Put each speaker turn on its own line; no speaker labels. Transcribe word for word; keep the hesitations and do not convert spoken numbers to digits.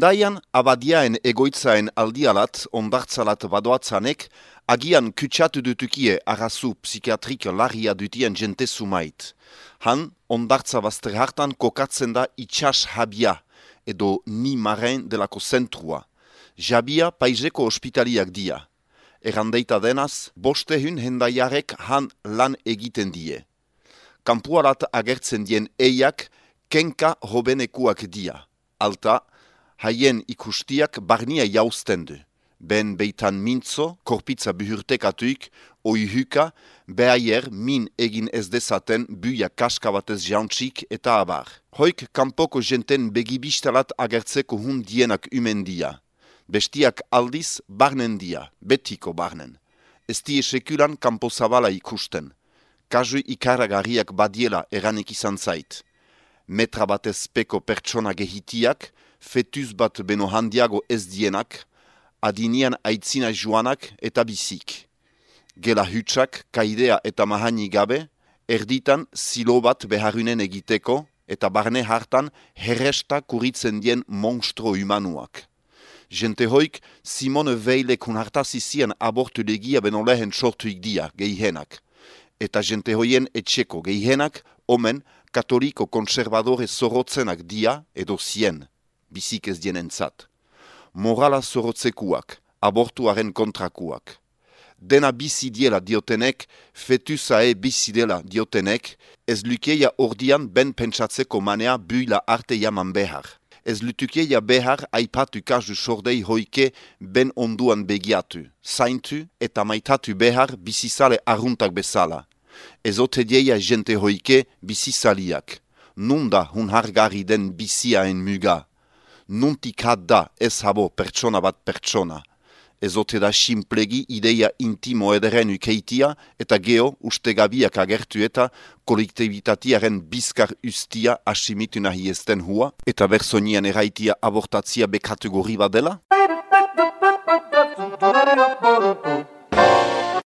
Hendaian abadiaen egoitzaen aldialat ondartzalat badoatzanek agian kutsatu dutukie arrazu psikiatrik larria dutien jente sumait. Han ondartza bazter hartan kokatzen da itxas habia edo ni maren delako zentrua. Jabia paiseko ospitaliak dia. Errandeita denaz, bostehun hendaiarek han lan egiten die. Kampuarat agertzen dien eiak kenka hobenekuak dia. Alta, haien ikustiak barnia jausten du. Ben beitan mintzo, korpitza buhurtekatuik, oihuka, behaier min egin ez dezaten buia kaska batez jauntxik eta abar. Hoik kanpoko jenten begibistalat agertzeko hun dienak umendia. Bestiak aldiz barnen dia, betiko barnen. Ez die sekulan kanpo zabala ikusten. Kasu ikaragarriak badiela eranik izan zait. Metra batez peko pertsona gehitiak, fetus bat beno handiago ez dienak, adinian aitzina joanak eta bizik. Gela hutsak, kaidea eta mahani gabe, erditan silo bat beharunen egiteko eta barne hartan herresta kuritzen dien monstro humanuak. Jente hoik Simone Veilek hunartazizien abortu legia beno lehen sortuik dia, geihenak. Eta jente hoien etxeko geihenak, omen, katoliko konservadore zorotzenak dia edo zien, bizik ez dienentzat. Morala zorotzekuak, abortuaren kontrakuak. Dena bizi diela diotenek, fetusae bizi dela diotenek, ez lukeia ordian ben pentsatzeko manea buila arte jaman behar. Ez lutukeia behar aipatu kasu sordei hoike ben onduan begiatu, zaintu eta maitatu behar bizizale arruntak bezala. Ez ote dieia jente hoike bizizaliak. Nunda hun hargarri den biziaen muga. Nuntik hat da ez habo pertsona bat pertsona. Ez ote da simplegi ideia intimo ederen ukeitia eta geo ustegabiak agertu eta kolektibitatiaren bizkar ustia asimitu nahi ezten hua eta bersonian eraitia abortatzia bekategori bat dela?